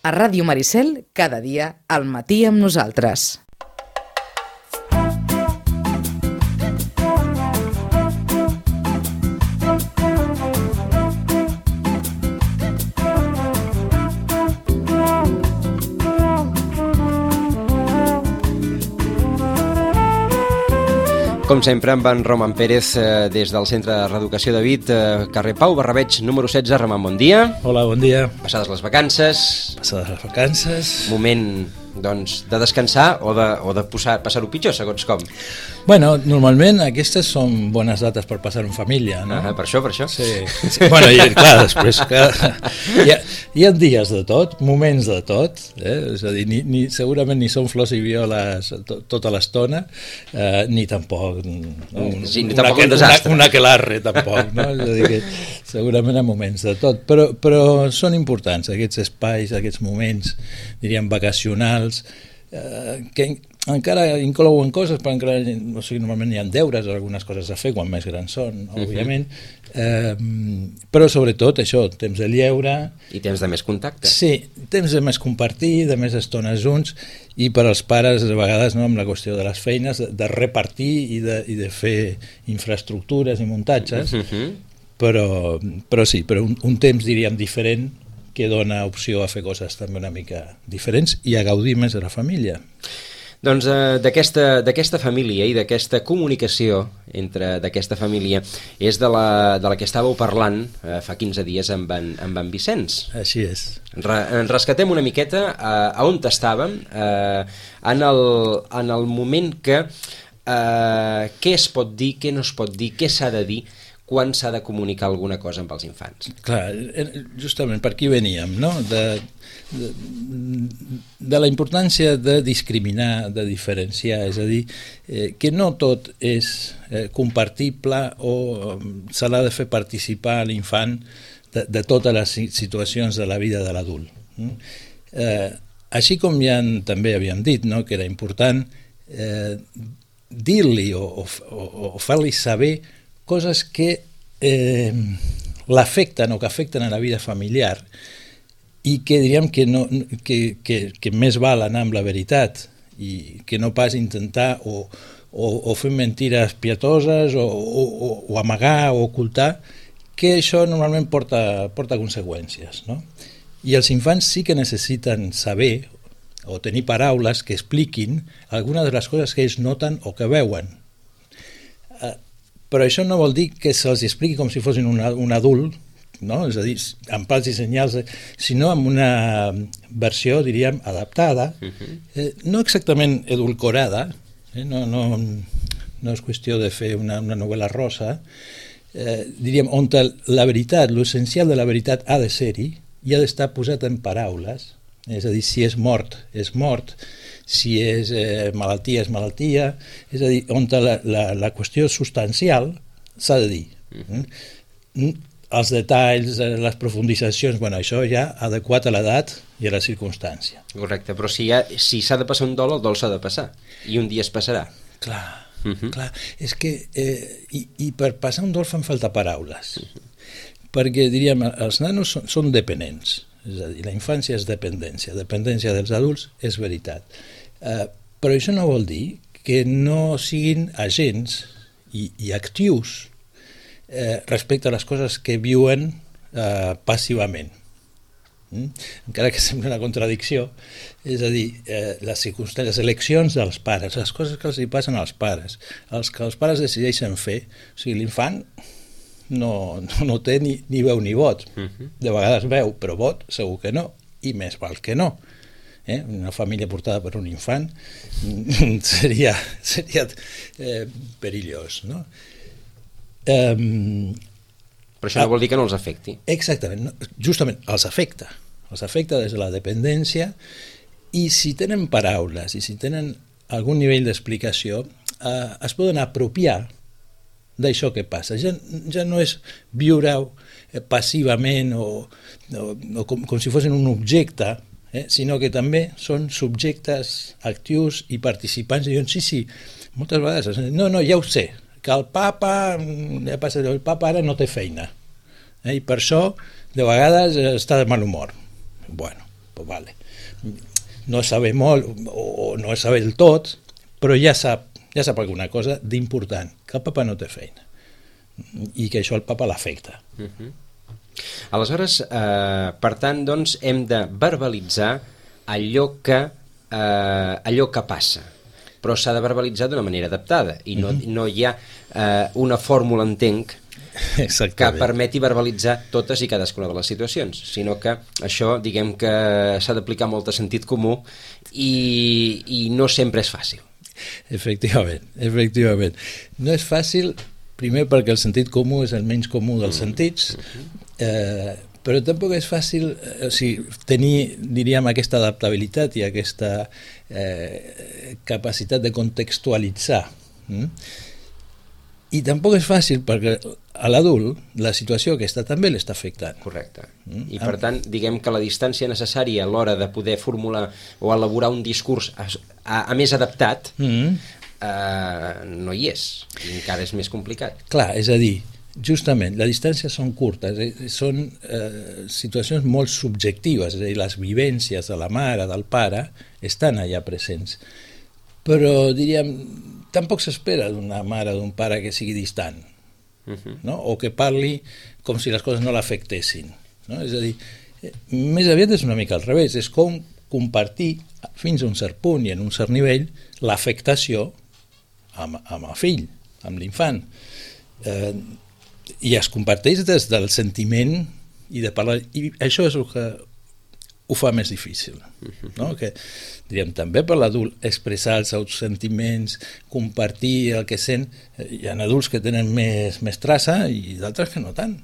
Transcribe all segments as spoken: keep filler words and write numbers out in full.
A Ràdio Maricel, cada dia, al matí amb nosaltres. Com sempre, amb en Roman Pérez, eh, des del Centre de Reeducació de Vic, eh, carrer Pau Barrabeig, número setze. Roman, bon dia. Hola, bon dia. Passades les vacances. Passades les vacances. Moment, doncs, de descansar o de, o de posar, passar-ho pitjor, segons com. Bueno, normalment aquestes són bones dates per passar en família, no? Ah, per això, per això. Sí, sí. Bueno, i clar, després que hi, ha, hi ha dies de tot, moments de tot, eh? És a dir, ni, ni, segurament ni són flors i violes to, tota l'estona, eh, ni tampoc, un, sí, ni una, tampoc un una, desastre. Una aquelarre, tampoc, no? És a dir, que segurament hi ha moments de tot, però, però són importants aquests espais, aquests moments, diríem, vacacionals, eh, que encara inclouen coses, però encara, o sigui, normalment hi ha deures o algunes coses a fer quan més grans són, òbviament, uh-huh. eh, però sobretot això, temps de lleure... I temps de més contacte. Sí, temps de més compartir, de més estones junts, i per als pares, a vegades, no, amb la qüestió de les feines, de, de repartir i de, i de fer infraestructures i muntatges, uh-huh. però, però sí, però un, un temps, diríem, diferent, que dona opció a fer coses també una mica diferents i a gaudir més de la família. Doncs eh, d'aquesta d'aquesta família i d'aquesta comunicació entre d'aquesta família és de la, de la que estàveu parlant eh, fa quinze dies amb en, amb en Vicenç. Així és. Re, en rescatem una miqueta a, a on estàvem, eh, en, el, en el moment que eh, què es pot dir, què no es pot dir, què s'ha de dir quan s'ha de comunicar alguna cosa amb els infants. Clar, justament per aquí veníem, no? De, de, de la importància de discriminar, de diferenciar, és a dir, eh, que no tot és eh, compartible o eh, se l'ha de fer participar l'infant de, de totes les situacions de la vida de l'adult. Eh, així com ja també havíem dit, no? Que era important eh, dir-li o, o, o fer-li saber coses que eh, l'afecten o que afecten a la vida familiar i que diríem que, no, que, que, que més val anar amb la veritat i que no pas intentar o, o, o fer mentires pietoses o, o, o amagar o ocultar, que això normalment porta, porta conseqüències, no? I els infants sí que necessiten saber o tenir paraules que expliquin algunes de les coses que ells noten o que veuen. Eh, Però això no vol dir que se'ls expliqui com si fossin un, un adult, no? És a dir, amb pals i senyals, sinó amb una versió, diríem, adaptada, uh-huh. eh, no exactament edulcorada, eh? no, no, no és qüestió de fer una, una novel·la rosa, eh, diríem, on la veritat, l'essencial de la veritat ha de ser-hi i ha d'estar posat en paraules, és a dir, si és mort, és mort, si és eh, malaltia, és malaltia, és a dir, on la, la, la qüestió substancial s'ha de dir. Uh-huh. Els detalls, les profunditzacions, bueno, això ja adequat a l'edat i a la circumstància. Correcte, però si ha, si s'ha de passar un dol, el dol s'ha de passar, i un dia es passarà. Clar, uh-huh. clar. És que, eh, i, i per passar un dol fan falta paraules, uh-huh. perquè, diríem, els nanos són, són dependents, és a dir, la infància és dependència, dependència dels adults és veritat. Uh, però això no vol dir que no siguin agents i, i actius eh, respecte a les coses que viuen eh, passivament. Mm? Encara que sembla una contradicció, és a dir, eh, les circumstàncies, les eleccions dels pares, les coses que els hi passen als pares, els que els pares decideixen fer, o sigui, l'infant no, no, no té ni, ni veu ni vot, uh-huh. de vegades veu, però vot segur que no, i més val que no. Eh? Una família portada per un infant seria, seria eh, perillós, no? Um, Però això no vol dir que no els afecti. Exactament, no, justament els afecta, els afecta des de la dependència, i si tenen paraules i si tenen algun nivell d'explicació, eh, es poden apropiar d'això que passa. Ja, ja no és viure-ho eh, passivament o, o, o com, com si fossin un objecte, Eh, sinó que també són subjectes actius i participants i diuen, sí, sí, moltes vegades no, no, ja ho sé, que el papa ja passa, el papa ara no té feina, eh, i per això de vegades està de mal humor. Bueno, pues vale. No sabe molt o no sabe del tot, però ja sap, ja sap alguna cosa d'important, que el papa no té feina i que això al papa l'afecta. Uh-huh. Aleshores, eh, per tant, doncs, hem de verbalitzar allò que, eh, allò que passa, però s'ha de verbalitzar d'una manera adaptada i no, uh-huh. no hi ha eh, una fórmula, entenc, Exactament. que permeti verbalitzar totes i cadascuna de les situacions, sinó que això, diguem que s'ha d'aplicar molt de sentit comú i, i no sempre és fàcil. Efectivament, efectivament. No és fàcil, primer perquè el sentit comú és el menys comú dels mm. sentits, eh, però tampoc és fàcil eh, o sigui, tenir, diríem, aquesta adaptabilitat i aquesta eh, capacitat de contextualitzar. Mm? I tampoc és fàcil perquè a l'adult la situació aquesta també l'està afectant. Correcte. Mm? I per tant, diguem que la distància necessària a l'hora de poder formular o elaborar un discurs a, a, a més adaptat mm. eh, no hi és. I encara és més complicat. Clar, és a dir, justament, les distàncies són curtes, eh, són eh, situacions molt subjectives, és a dir, les vivències de la mare, del pare, estan allà presents. Però, diríem, tampoc s'espera d'una mare o d'un pare que sigui distant, uh-huh. no? O que parli com si les coses no l'afectessin. No? És a dir, eh, més aviat és una mica al revés, és com compartir fins a un cert punt i en un cert nivell l'afectació amb, amb el fill, amb l'infant. Eh, I es comparteix des del sentiment i de parlar, i això és el que ho fa més difícil, no? Que, diríem, també per l'adult expressar els seus sentiments, compartir el que sent, hi ha adults que tenen més, més traça i d'altres que no tant,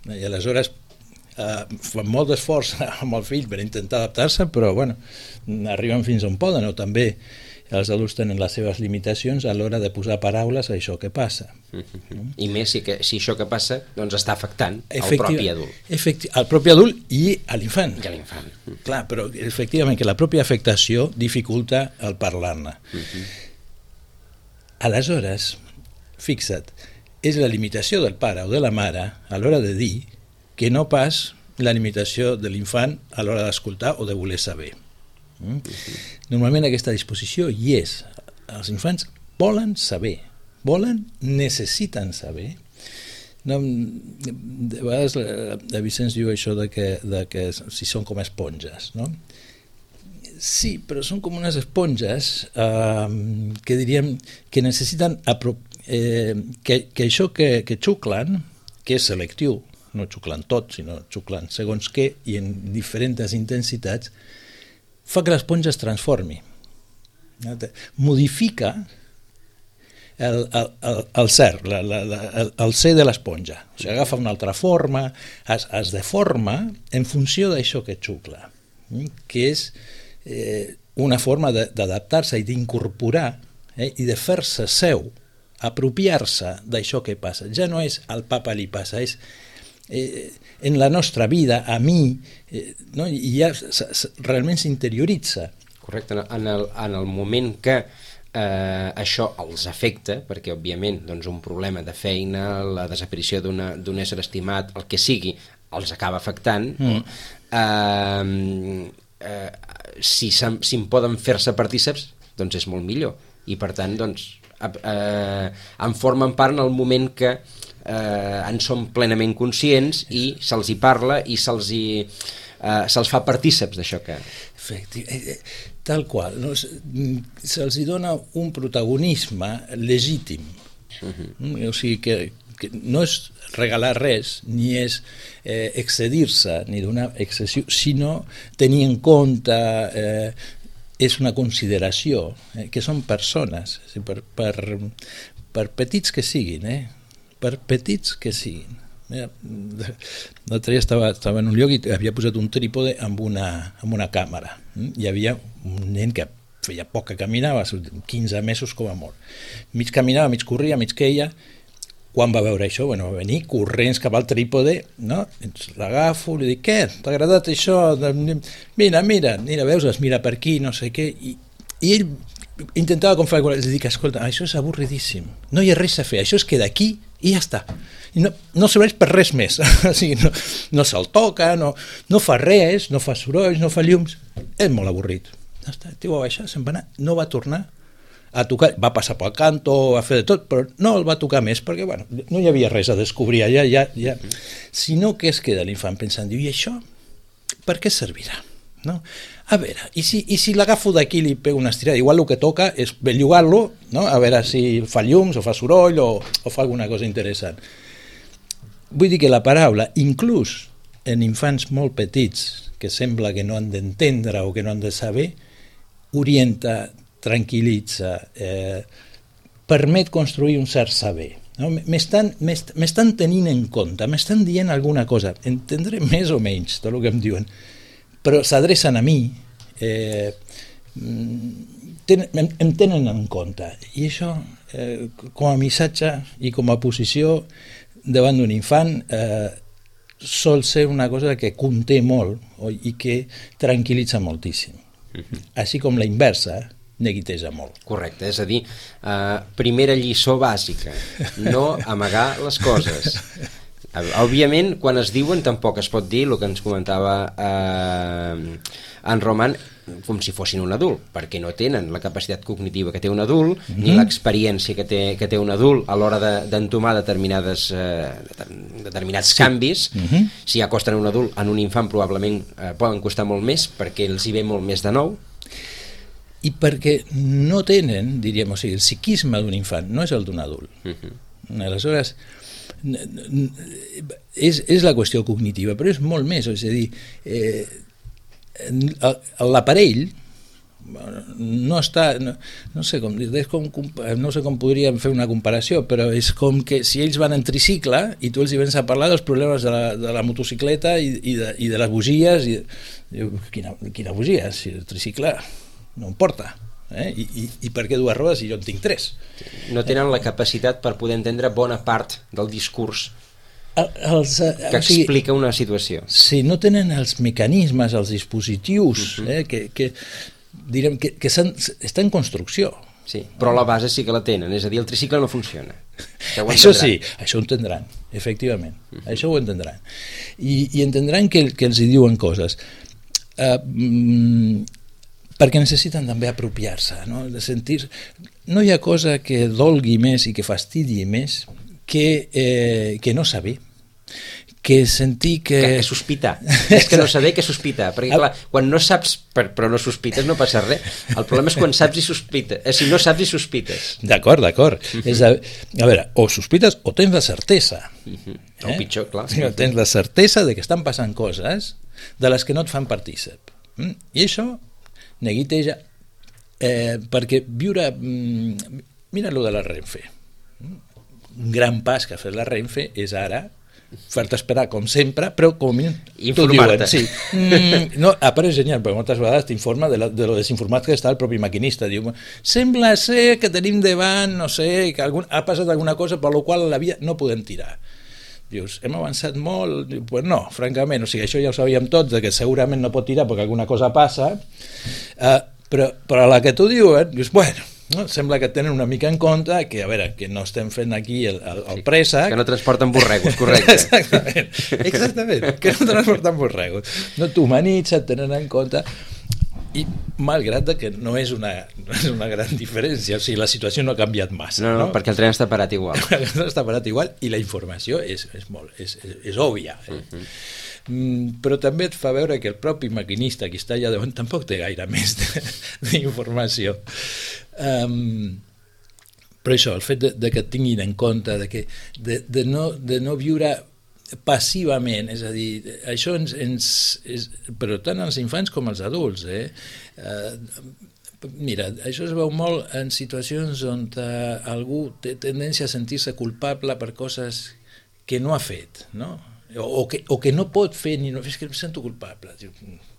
i aleshores eh, fan molt d'esforç amb el fill per intentar adaptar-se, però bueno, arriben fins on poden, o també els adults tenen les seves limitacions a l'hora de posar paraules a això que passa. Mm-hmm. I més si, que, si això que passa doncs està afectant el propi adult. Efecti- el propi adult i a l'infant. I a l'infant. Mm. Clar, però efectivament que la pròpia afectació dificulta el parlar-ne. Mm-hmm. Aleshores, fixa't, és la limitació del pare o de la mare a l'hora de dir que no pas la limitació de l'infant a l'hora d'escoltar o de voler saber. Mm? Normalment aquesta disposició hi és. Els infants volen saber, volen, necessiten saber. No, de vegades la, la Vicenç diu això de que, de que si són com esponges, no? Sí, però són com unes esponges eh, que diríem que necessiten apro- eh, que, que això que, que xuclen, que és selectiu, no xuclen tot, sinó xuclen segons què i en diferents intensitats, fa que l'esponja es transformi, modifica el, el, el, el ser, la, la, la, el, el ser de l'esponja. O sigui, agafa una altra forma, es, es deforma en funció d'això que xucla, que és eh, una forma de, d'adaptar-se i d'incorporar eh, i de fer-se seu, apropiar-se d'això que passa. Ja no és al papa li passa, és Eh, en la nostra vida, a mi, eh, no? I ja s- s- realment s'interioritza. Correcte, en el, en el moment que eh, això els afecta, perquè òbviament doncs, un problema de feina, la desaparició d'una, d'un ésser estimat, el que sigui, els acaba afectant, mm. eh, eh, si, si en poden fer-se partíceps, doncs és molt millor. I per tant, doncs, eh, en formen part en el moment que eh, en som plenament conscients i se'ls hi parla i se'ls hi, eh, se'ls fa partíceps d'això que... Efectivament, tal qual, no? Se'ls hi dona un protagonisme legítim, uh-huh. O sigui que, que no és regalar res, ni és eh, excedir-se, ni donar excessiu, sinó tenir en compte... Eh, és una consideració, eh, que són persones, per, per, per petits que siguin, eh? per petits que siguin. Mira, l'altre dia estava, estava en un lloc i havia posat un trípode amb una, amb una càmera. Hi havia un nen que feia poc que caminava, quinze mesos com a molt. Mig caminava, mig corria, mig queia. Quan va veure això, bueno, va venir corrents cap al trípode, no? L'agafo, li dic, què? T'ha agradat això? Mira, mira, mira, veus, es mira per aquí, no sé què, i, i ell intentava com fer alguna cosa, li dic, escolta, això és avorridíssim, no hi ha res a fer, això es queda aquí i ja està. I no, no serveix per res més. O sigui, no, no se'l toca, no, no fa res, no fa sorolls, no fa llums. És molt avorrit. Ja està, el tio va baixar, se'n va anar, no va tornar a tocar, va passar pel canto, va fer de tot, però no el va tocar més, perquè bueno, no hi havia res a descobrir allà, ja, ja. Sinó que es queda l'infant pensant, diu, i això per què servirà? No? A veure, i si, i si l'agafo d'aquí i li pego una estirada, igual el que toca és bellugar-lo, no? A veure si fa llums o fa soroll o, o fa alguna cosa interessant. Vull dir que la paraula, inclús en infants molt petits, que sembla que no han d'entendre o que no han de saber, orienta, tranquil·litza, eh, permet construir un cert saber. No? M'estan tenint en compte, m'estan dient alguna cosa, entendré més o menys tot el que em diuen, però s'adrecen a mi, eh, ten, em, em tenen en compte, i això, eh, com a missatge i com a posició davant d'un infant, eh, sol ser una cosa que conté molt i que tranquil·litza moltíssim. Uh-huh. Així com la inversa, neguiteja molt. Correcte, és a dir, eh, primera lliçó bàsica, no amagar les coses. Òbviament, quan es diuen tampoc es pot dir el que ens comentava eh, en Roman, com si fossin un adult, perquè no tenen la capacitat cognitiva que té un adult, mm-hmm. ni l'experiència que té, que té un adult a l'hora d'entomar de, determinades, eh, determinats sí. canvis. Mm-hmm. Si ja costen un adult, en un infant probablement eh, poden costar molt més, perquè els hi ve molt més de nou. I perquè no tenen, diríem, o sigui, el psiquisme d'un infant no és el d'un adult. Uh-huh. Aleshores, és, és la qüestió cognitiva, però és molt més, és a dir, eh, l'aparell no està, no, no sé com dir, com, no sé com podríem fer una comparació, però és com que si ells van en tricicle i tu els hi vens a parlar dels problemes de la, de la motocicleta i, i, de, i de les bugies, i diu, quina, quina bugia, si el tricicle no em porta, eh? I, i, i per què dues rodes si jo en tinc tres? No tenen la capacitat per poder entendre bona part del discurs el, els, que o sigui, explica una situació. Si no tenen els mecanismes, els dispositius, uh-huh. eh, que, que direm que, que està en construcció. Sí, però la base sí que la tenen, és a dir, el tricicle no funciona. Això sí, això ho entendran, efectivament, uh-huh. això ho entendran. I, i entendran que, que els hi diuen coses. Uh, mm, perquè necessiten també apropiar-se, no? De sentir... No hi ha cosa que dolgui més i que fastidi més que, eh, que no saber, que sentir que... Que, que sospitar, és que no saber que sospitar, perquè clar, quan no saps però no sospites no passa res, el problema és quan saps i sospites, eh, si no saps i sospites. D'acord, d'acord. Uh-huh. És a, a veure, o sospites o tens la certesa. Uh-huh. O eh? pitjor, clar. Tens la certesa de que estan passant coses de les que no et fan partícip. Mm? I això neguiteja, eh, perquè viure, mm, mira lo de la Renfe, un gran pas que ha fet la Renfe és ara fer-te esperar com sempre, però com a mínim informar-te. Sí. Mm, no, apareix genial, perquè moltes vegades t'informa de, la, de lo desinformat que està el propi maquinista, diu, sembla ser que tenim davant, no sé, que algun, ha passat alguna cosa per la qual la via no podem tirar. Dius, hem avançat molt? Diu, pues no, francament, o sigui, això ja ho sabíem tots, que segurament no pot tirar perquè alguna cosa passa, uh, però, però a la que tu diuen, dius, bueno, no? Sembla que tenen una mica en compte que, a veure, que no estem fent aquí el, el, el préssec. Que no transporten borregos, correcte. Exactament, exactament, que no transporten borregos. No t'humanitza, et tenen en compte, i malgrat que no és una, no és una gran diferència, o sigui, la situació no ha canviat massa. No, no, no? Perquè el tren està parat igual. El tren està parat igual i la informació és, és, molt, és, és, és òbvia. Eh? Uh-huh. Mm, però també et fa veure que el propi maquinista que està allà davant tampoc té gaire més d'informació. Um, però això, el fet de, de que et tinguin en compte, de, que, de, de, no, de no viure passivament, és a dir, això ens, ens és, però tant els infants com els adults, eh? Uh, mira, això es veu molt en situacions on uh, algú té tendència a sentir-se culpable per coses que no ha fet, no? O, o, que, o que no pot fer, ni no, és que em sento culpable.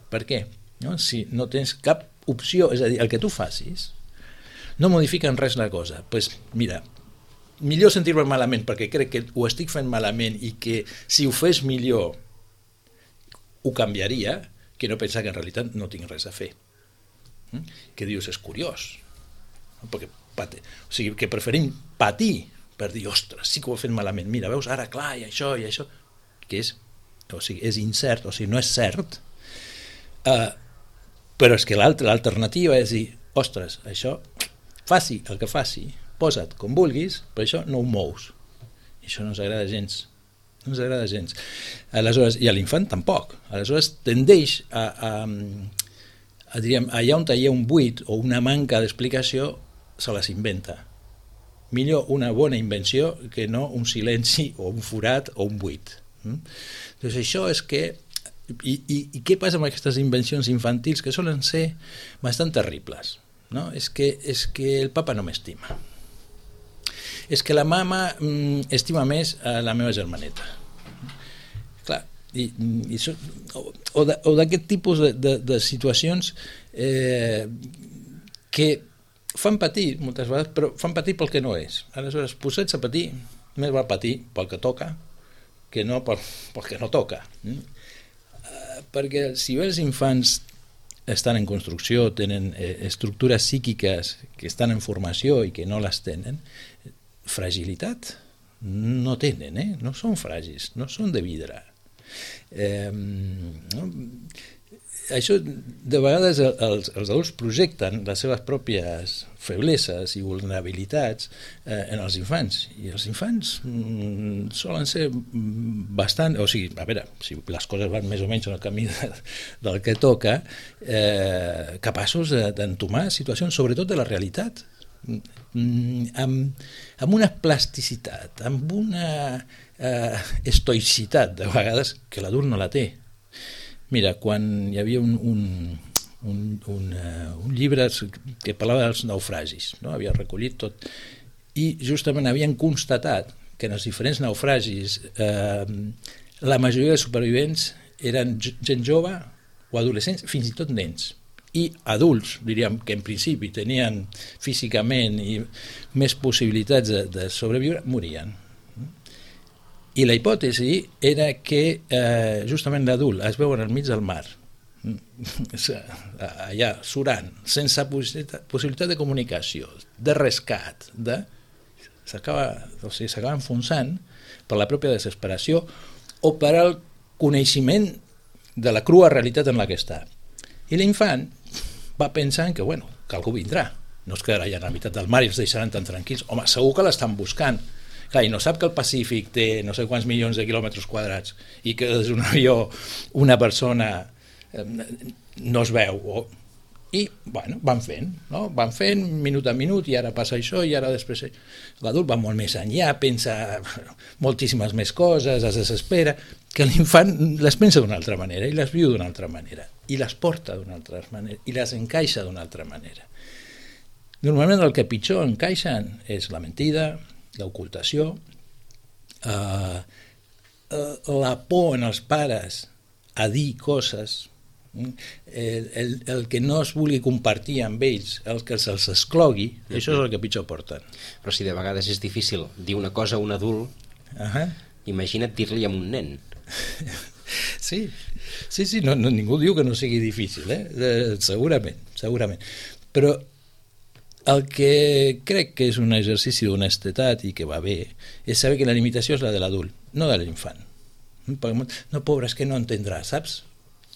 Per què? No? Si no tens cap opció, és a dir, el que tu facis no modifica en res la cosa. Doncs pues, mira, millor sentir-me malament perquè crec que ho estic fent malament i que si ho fes millor ho canviaria, que no pensar que en realitat no tinc res a fer. Mm? Que dius, és curiós. Perquè, pate, o sigui, que preferim patir per dir, ostres, sí que ho he fet malament, mira, veus, ara clar, i això, i això, que és, o sigui, és incert, o sigui, no és cert, uh, però és que l'alternativa és dir, ostres, això, faci el que faci, posa't com vulguis, però això no ho mous. I això no ens agrada gens. No ens agrada gens. Aleshores, i a l'infant tampoc. Aleshores tendeix a, a, a diríem, allà on hi ha un buit o una manca d'explicació, se les inventa. Millor una bona invenció que no un silenci o un forat o un buit. Mm? Doncs això és que... I, i, I què passa amb aquestes invencions infantils que solen ser bastant terribles? No? És, que, és que el papa no m'estima. És que la mama mm, estima més a la meva germaneta. Clar, i, i so, o, o d'aquest tipus de, de, de situacions eh, que fan patir moltes vegades, però fan patir pel que no és. Aleshores, posats a patir, més val patir pel que toca que no pel, pel que no toca. Mm? Uh, perquè si bé els infants estan en construcció, tenen eh, estructures psíquiques que estan en formació i que no les tenen, fragilitat no tenen, eh? No són fràgils, no són de vidre. Eh, no? Això, de vegades els, els adults projecten les seves pròpies febleses i vulnerabilitats eh, en els infants, i els infants mm, solen ser bastant, o sigui, a veure, si les coses van més o menys en el camí de, del que toca, eh, capaços d'entomar situacions, sobretot de la realitat, mm, amb, amb una plasticitat, amb una eh, estoïcitat, de vegades, que l'adult no la té. Mira, quan hi havia un, un, un, un, uh, un llibre que parlava dels naufragis, no? Havia recollit tot, i justament havien constatat que en els diferents naufragis eh, la majoria de supervivents eren gent jove o adolescents, fins i tot nens, i adults, diríem, que en principi tenien físicament i més possibilitats de, de sobreviure, morien. I la hipòtesi era que eh, justament l'adult es veu al mig del mar, allà surant, sense possibilitat, possibilitat de comunicació, de rescat, de... s'acaba, o sigui, s'acaba enfonsant per la pròpia desesperació o per al coneixement de la crua realitat en la que està. I l'infant va pensant que, bueno, que algú vindrà, no es quedarà allà a la meitat del mar i els deixaran tan tranquils. Home, segur que l'estan buscant. Clar, i no sap que el Pacífic té no sé quants milions de quilòmetres quadrats i que des d'un avió una persona eh, no es veu. O... I, bueno, van fent, no? Van fent minut a minut, i ara passa això, i ara després... L'adult va molt més enllà, pensa moltíssimes més coses, es desespera, que l'infant les pensa d'una altra manera, i les viu d'una altra manera, i les porta d'una altra manera, i les encaixa d'una altra manera. Normalment el que pitjor encaixen és la mentida, l'ocultació, eh, la por en els pares a dir coses, el, el, el que no es vulgui compartir amb ells, el que se'ls exclogui, uh-huh. Això és el que pitjor porten. Però si de vegades és difícil dir una cosa a un adult, uh-huh. Imagina't dir-li a un nen. Sí, sí, sí, no, no, ningú diu que no sigui difícil, eh? Eh, segurament, segurament. Però el que crec que és un exercici d'honestedat i que va bé és saber que la limitació és la de l'adult, no de l'infant. No, pobre, és que no entendrà, saps?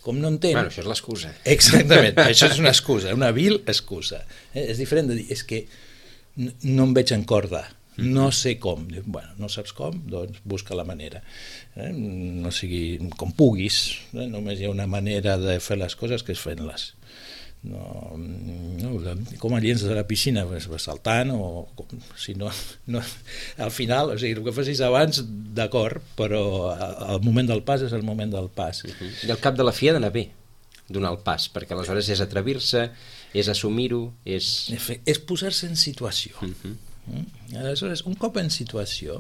Com no entén... Bueno, això és l'excusa. Exactament, això és una excusa, una vil excusa. Eh? És diferent de dir, és que no em veig en corda, no sé com. Bueno, no saps com? Doncs busca la manera. Eh? No sigui com puguis, eh? Només hi ha una manera de fer les coses que és fent-les. No, no, com el llenç de la piscina, saltant o com, si no, no, al final, o sigui, el que facis abans, d'acord, però el moment del pas és el moment del pas. Uh-huh. I al cap de la fi ha d'anar bé donar el pas, perquè aleshores és atrevir-se, és assumir-ho, és... És posar-se en situació. Uh-huh. Aleshores, un cop en situació,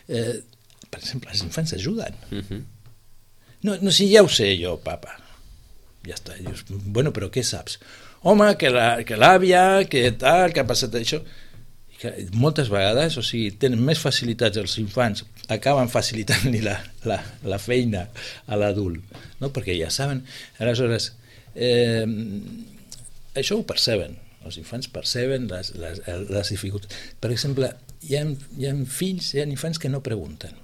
eh, per exemple, els infants ajuden. Uh-huh. No, no, si ja ho sé jo, papa. Ja està, i dius, bueno, però què saps? Home, que l'àvia, la, que tal, que ha passat això... I que moltes vegades, o sigui, tenen més facilitats els infants, acaben facilitant-li la, la, la feina a l'adult, no? Perquè ja saben. Aleshores, eh, això ho perceben els infants perceben les, les, les dificultats. Per exemple, hi ha, hi ha fills, hi ha infants que no pregunten,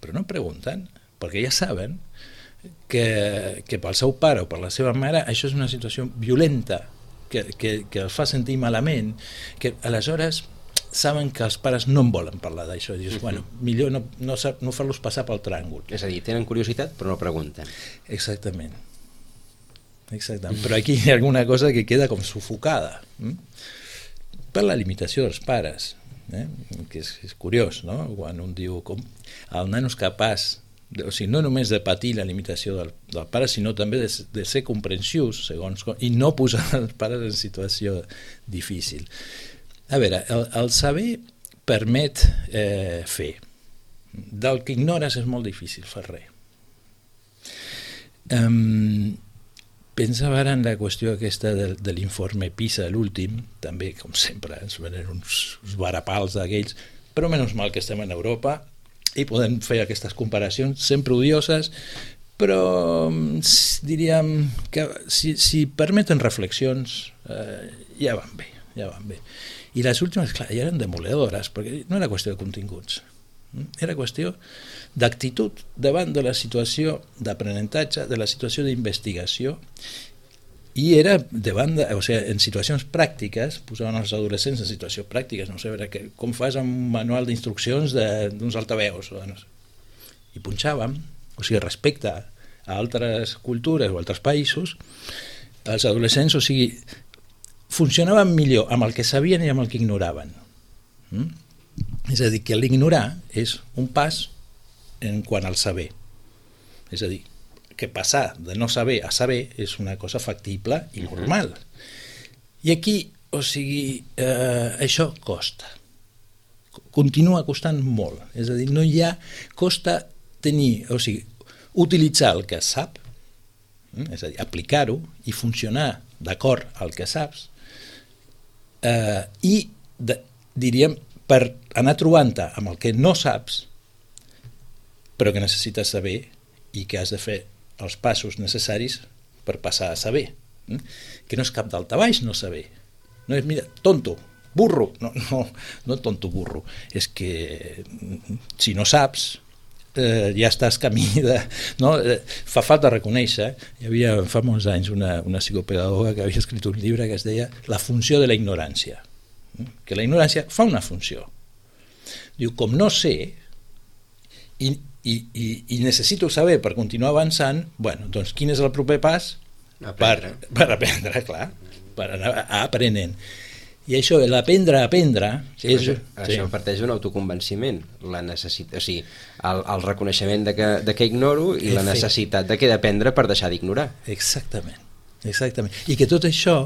però no pregunten perquè ja saben que, que pel seu pare o per la seva mare això és una situació violenta que, que, que els fa sentir malament, que aleshores saben que els pares no en volen parlar d'això, i dius, bueno, millor no, no, no fer-los passar pel tràngol. És a dir, tenen curiositat però no pregunten. Exactament. Exactament. Però aquí hi ha alguna cosa que queda com sufocada, hm? per la limitació dels pares, eh? que és, és curiós, no? Quan un diu com el nano és capaç, de, o sigui, no només de patir la limitació del, del pare, sinó també de, de ser comprensius segons com, i no posar els pares en situació difícil. A veure, el, el saber permet eh, fer. Del que ignores és molt difícil fer res. Um, pensava ara en la qüestió aquesta de, de l'informe PISA, l'últim, també, com sempre, ens venen uns, uns varapals d'aquells, però menys mal que estem en Europa i podem fer aquestes comparacions sempre odioses, però diríem que si, si permeten reflexions eh, ja van bé, ja van bé. I les últimes, clar, ja eren demoledores, perquè no era qüestió de continguts, era qüestió d'actitud davant de la situació d'aprenentatge, de la situació d'investigació, i era davant de, o sigui, en situacions pràctiques, posaven els adolescents en situacions pràctiques, no sé, que, com fas amb un manual d'instruccions d'uns altaveus, o no sé. I punxàvem, o sigui, respecte a altres cultures o altres països, els adolescents, o sigui, funcionaven millor amb el que sabien i amb el que ignoraven. Mm? És a dir, que l'ignorar és un pas en quant al saber. És a dir, que passar de no saber a saber és una cosa factible i normal. I aquí, o sigui, eh, això costa. Continua costant molt. És a dir, no hi ha... Costa tenir, o sigui, utilitzar el que es sap, és a dir, aplicar-ho i funcionar d'acord al que saps, eh, i, de, diríem, per anar trobant-te amb el que no saps, però que necessites saber i que has de fer els passos necessaris per passar a saber. Eh? Que no és cap daltabaix no saber. No és, mira, tonto, burro. No, no, no tonto, burro. És que si no saps, eh, ja estàs camí de... No? Eh, fa falta reconèixer, hi havia fa molts anys una, una psicopedagoga que havia escrit un llibre que es deia La funció de la ignorància. Que la ignorància fa una funció. Diu, com no sé i, i, i, i necessito saber per continuar avançant, bueno, doncs quin és el proper pas? Aprendre. Per, per aprendre, clar, per anar aprenent. I això, l'aprendre a aprendre... Sí, és, això, sí. això parteix d'un autoconvenciment, la necessitat, o sigui, el, el reconeixement de que, de que ignoro i la necessitat de que he d'aprendre per deixar d'ignorar. Exactament, exactament. I que tot això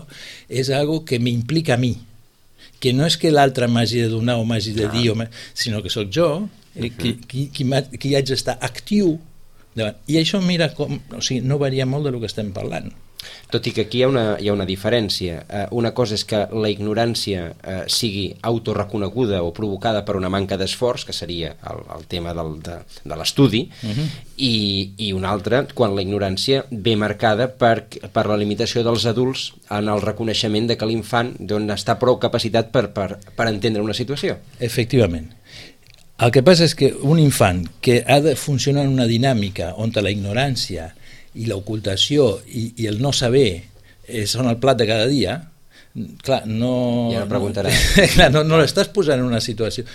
és algo que m'implica a mi, que no és que l'altre m'hagi de donar o m'hagi de dir, ah. sinó que sóc jo eh, qui, qui, qui, qui haig d'estar actiu davant. I això, mira, com, o sigui, no varia molt del que estem parlant. Tot i que aquí hi ha una, hi ha una diferència. Eh, una cosa és que la ignorància eh, sigui autorreconeguda o provocada per una manca d'esforç, que seria el, el tema del, de, de l'estudi, uh-huh. i, i una altra, quan la ignorància ve marcada per, per la limitació dels adults en el reconeixement de que l'infant doncs, està prou capacitat per, per, per entendre una situació. Efectivament. El que passa és que un infant que ha de funcionar en una dinàmica on la ignorància i l'ocultació i, i el no saber eh, són el plat de cada dia, clar, no... Ja no preguntarà. No, clar, no, no l'estàs posant en una situació...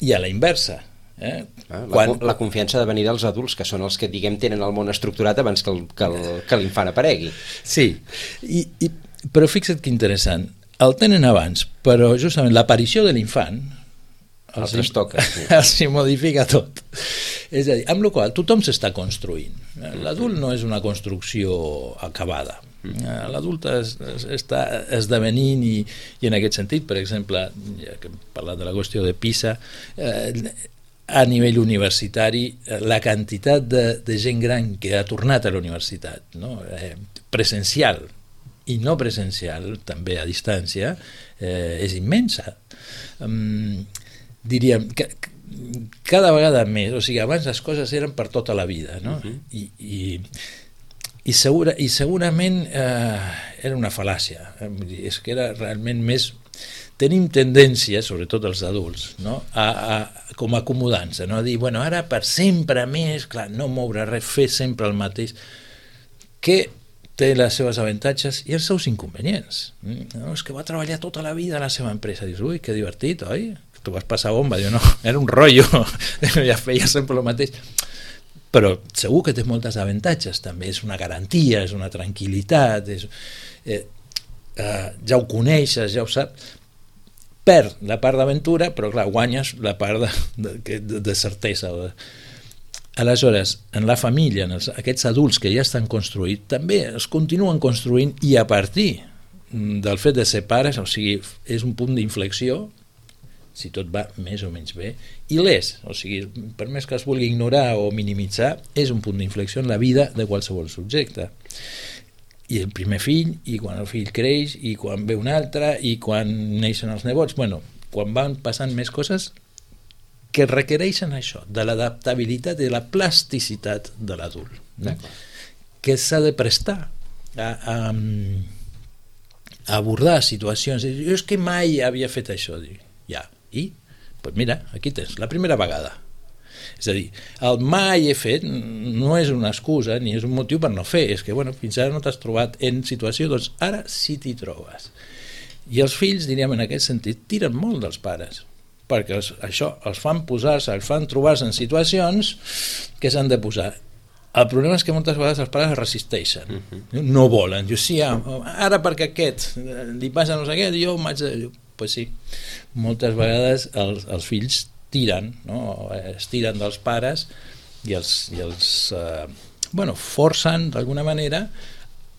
I a la inversa. Eh? Ah, la, Quan... la confiança ha de venir dels adults, que són els que, diguem, tenen el món estructurat abans que, el, que, el, que l'infant aparegui. Sí, I, i, però fixa't que interessant. El tenen abans, però justament l'aparició de l'infant els hi toca, sí. els hi modifica tot. És a dir, amb la qual tothom s'està construint. L'adult no és una construcció acabada. L'adult es, es, està esdevenint i, i en aquest sentit, per exemple, ja que hem parlat de la qüestió de PISA, eh, a nivell universitari, la quantitat de, de gent gran que ha tornat a la universitat, no? eh, presencial i no presencial, també a distància, eh, és immensa. Um, diríem que cada vegada més, o sigui, abans les coses eren per tota la vida, no? Uh-huh. I, i, i, segura, i segurament eh, era una fal·làcia. És que era realment més... Tenim tendència, sobretot els adults, no? a, a, com acomodant-se, no? A dir, bueno, ara per sempre més, clar, no moure res, fer sempre el mateix, que té les seves avantatges i els seus inconvenients. No, és que va treballar tota la vida a la seva empresa. Dius, ui, que divertit, oi? Tu vas passar bomba. Diu, no, era un rotllo, ja feia sempre el mateix. Però segur que té moltes avantatges, també és una garantia, és una tranquil·litat, és, eh, eh, ja ho coneixes, ja ho saps, perd la part d'aventura, però clar, guanyes la part de, de, de, de certesa. Aleshores, en la família, en els, aquests adults que ja estan construïts, també es continuen construint i a partir del fet de ser pares, o sigui, és un punt d'inflexió, si tot va més o menys bé, i l'és, o sigui, per més que es vulgui ignorar o minimitzar, és un punt d'inflexió en la vida de qualsevol subjecte. I el primer fill, i quan el fill creix, i quan ve un altre, i quan neixen els nebots, bueno, quan van passant més coses que requereixen això, de l'adaptabilitat i de la plasticitat de l'adult, no? Que s'ha de prestar a, a, a abordar situacions. Jo és que mai havia fet això. Dic, ja, i? Pues mira, aquí tens, la primera vegada. És a dir, el mai he fet no és una excusa ni és un motiu per no fer, és que bueno, fins ara no t'has trobat en situació, doncs ara sí t'hi trobes. I els fills, diríem en aquest sentit, tiren molt dels pares, perquè els, això els fan posar-se, els fan trobar-se en situacions que s'han de posar. El problema és que moltes vegades els pares es resisteixen, uh-huh. no volen. Jo sí, ara perquè aquest li passa no sé què, jo m'haig de... Pues sí, moltes vegades els, els fills tiren, no? Es tiren dels pares i els, i els eh, bueno, forcen d'alguna manera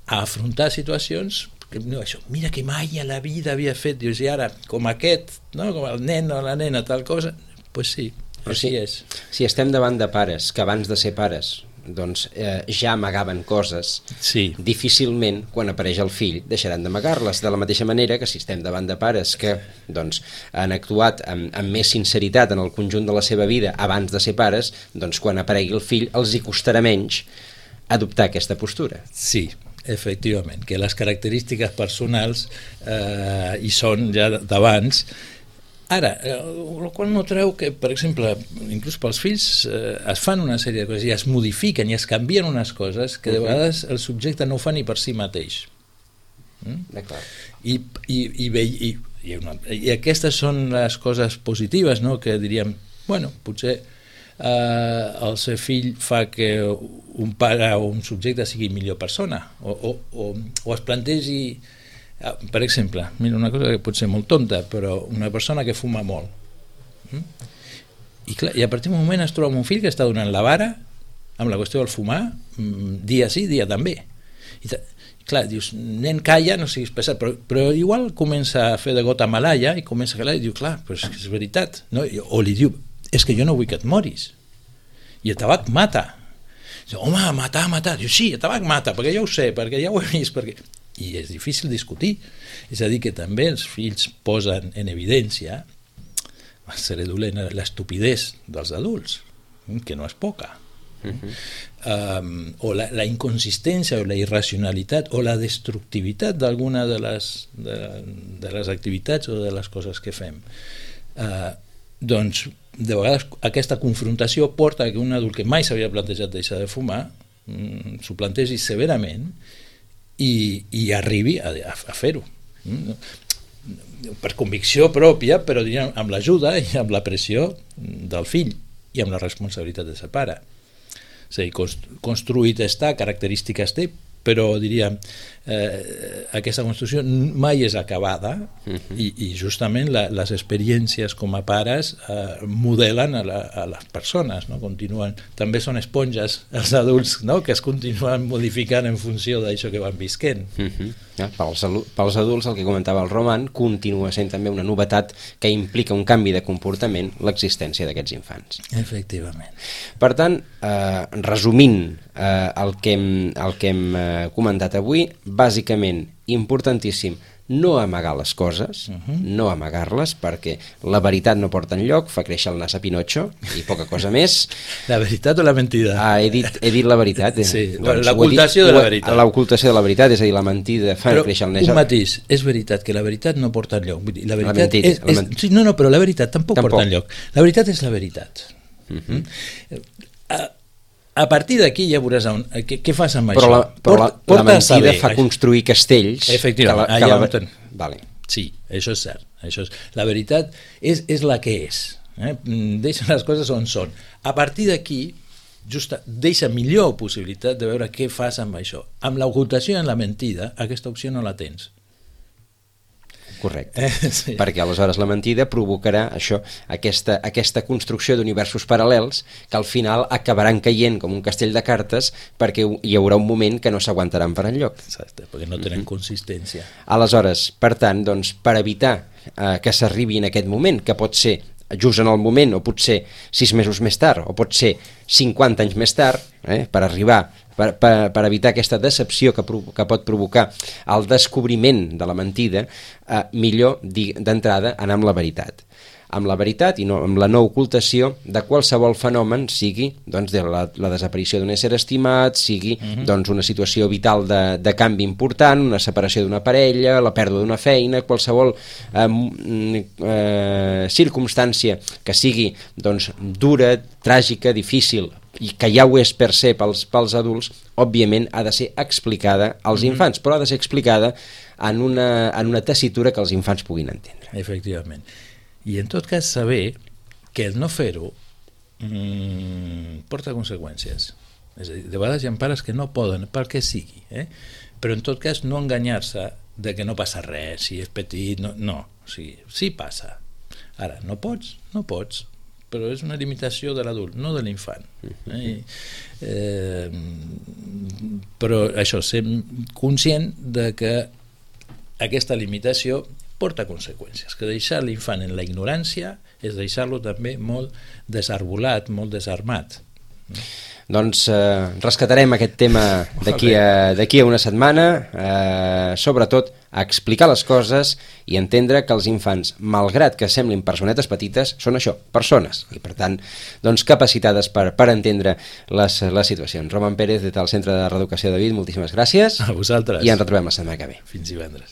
a afrontar situacions que, no, això, mira que mai a la vida havia fet, dius, i ara com aquest, no? Com el nen o la nena, tal cosa, doncs pues sí, així és. Si estem davant de pares que abans de ser pares doncs eh, ja amagaven coses, sí. Difícilment quan apareix el fill deixaran d'amagar-les, de la mateixa manera que si estem davant de pares que doncs, han actuat amb, amb més sinceritat en el conjunt de la seva vida abans de ser pares, doncs quan aparegui el fill els hi costarà menys adoptar aquesta postura. Sí, efectivament, que les característiques personals eh, hi són ja d'abans. Ara, el qual no treu que, per exemple, inclús pels fills eh, es fan una sèrie de coses i es modifiquen i es canvien unes coses que de vegades el subjecte no ho fa ni per si mateix. Mm? I, i, i, i, i, una, i aquestes són les coses positives, no? Que diríem, bueno, potser eh, el seu fill fa que un pare o un subjecte sigui millor persona o, o, o, o es plantegi. Per exemple, mira, una cosa que pot ser molt tonta, però una persona que fuma molt. Mm? I, clar, I a partir d'un moment es troba un fill que està donant la vara amb la qüestió del fumar, dia sí, dia també. I, clar, dius, nen, calla, no siguis pesat, però, però igual comença a fer de gota malaya i comença a calar i diu, clar, però és que és veritat. No? O li diu, és que jo no vull que et moris. I el tabac mata. Diu, home, matar, matar. Diu, sí, el tabac mata, perquè ja ho sé, perquè ja ho he vist, perquè... I és difícil discutir, és a dir que també els fills posen en evidència, seré dolent, l'estupidesa dels adults, que no és poca, uh-huh. um, o la, la inconsistència o la irracionalitat o la destructivitat d'alguna de les, de, de les activitats o de les coses que fem. Uh, doncs de vegades aquesta confrontació porta que un adult que mai s'havia plantejat deixar de fumar um, s'ho plantegi severament I, i arribi a, a fer-ho per convicció pròpia, però diríem, amb l'ajuda i amb la pressió del fill i amb la responsabilitat de ser pare. És a dir, construït està, característiques té, però diríem eh, aquesta construcció mai és acabada uh-huh. i, i justament la, les experiències com a pares eh, modelen a, la, a les persones, no? Continuen, també són esponges els adults, no? Que es continuen modificant en funció d'això que van visquent. Uh-huh. Ja, pels, pels adults, el que comentava el Roman, continua sent també una novetat que implica un canvi de comportament l'existència d'aquests infants. Efectivament. Per tant, eh, resumint eh, el que hem, el que hem eh, comentat avui, bàsicament importantíssim no amagar les coses, uh -huh. no amagar-les, perquè la veritat no porta enlloc, fa créixer el nas a Pinocho i poca cosa més. La veritat o la mentida? Ah, he dit, he dit la veritat. Eh? Sí, doncs, l'ocultació de la veritat. L'ocultació de la veritat, és a dir, la mentida fa però créixer el nas. Un matís, és veritat que la veritat no porta enlloc. Vull dir, la veritat la mentida, és, és, la ment... sí, no, no, però la veritat tampoc, tampoc porta enlloc. La veritat és la veritat. Uh -huh. mm? a, a partir d'aquí ja veuràs on, què, què fas amb però això. La, però Port, la, la mentida saber, fa construir castells. Efectivament, que la, que la... ten... vale. Sí, això és cert. Això és... La veritat és, és la que és. Eh? Deixa les coses on són. A partir d'aquí, justa, deixa millor possibilitat de veure què fas amb això. Amb l'ocultació i amb la mentida, aquesta opció no la tens. Correcte, eh, sí. Perquè aleshores la mentida provocarà això, aquesta, aquesta construcció d'universos paral·lels que al final acabaran caient com un castell de cartes, perquè hi haurà un moment que no s'aguantaran per enlloc. Exacte, perquè no tenen mm-hmm. consistència. Aleshores, per tant, doncs, per evitar eh, que s'arribi en aquest moment, que pot ser just en el moment, o potser sis mesos més tard, o pot ser cinquanta anys més tard, eh, per arribar Per, per, per evitar aquesta decepció que, que pot provocar el descobriment de la mentida, eh, millor d'entrada anar amb la veritat. Amb la veritat i no, amb la no ocultació de qualsevol fenomen, sigui doncs, de la, la desaparició d'un ésser estimat, sigui uh-huh. doncs, una situació vital de, de canvi important, una separació d'una parella, la pèrdua d'una feina, qualsevol eh, eh, circumstància que sigui doncs, dura, tràgica, difícil, i que ja ho és per ser pels, pels adults, òbviament ha de ser explicada als mm-hmm. infants, però ha de ser explicada en una, en una tessitura que els infants puguin entendre. Efectivament. I en tot cas saber que el no fer-ho mmm, porta conseqüències. És a dir, de vegades hi ha pares que no poden, pel que sigui, eh? Però en tot cas no enganyar-se de que no passa res, si és petit, no, no. O sigui, sí passa. Ara, no pots, no pots, però és una limitació de l'adult, no de l'infant. Eh? Eh, però això, ser conscient de que aquesta limitació porta conseqüències, que deixar l'infant en la ignorància és deixar-lo també molt desarbolat, molt desarmat. Doncs eh, rescatarem aquest tema d'aquí a, d'aquí a una setmana, eh, sobretot a explicar les coses i entendre que els infants, malgrat que semblin personetes petites, són això, persones, i per tant doncs, capacitades per, per entendre les, les situacions. Roman Pérez, des del Centre de Reeducació de David, moltíssimes gràcies. A vosaltres. I ens retrobem la setmana que ve. Fins divendres.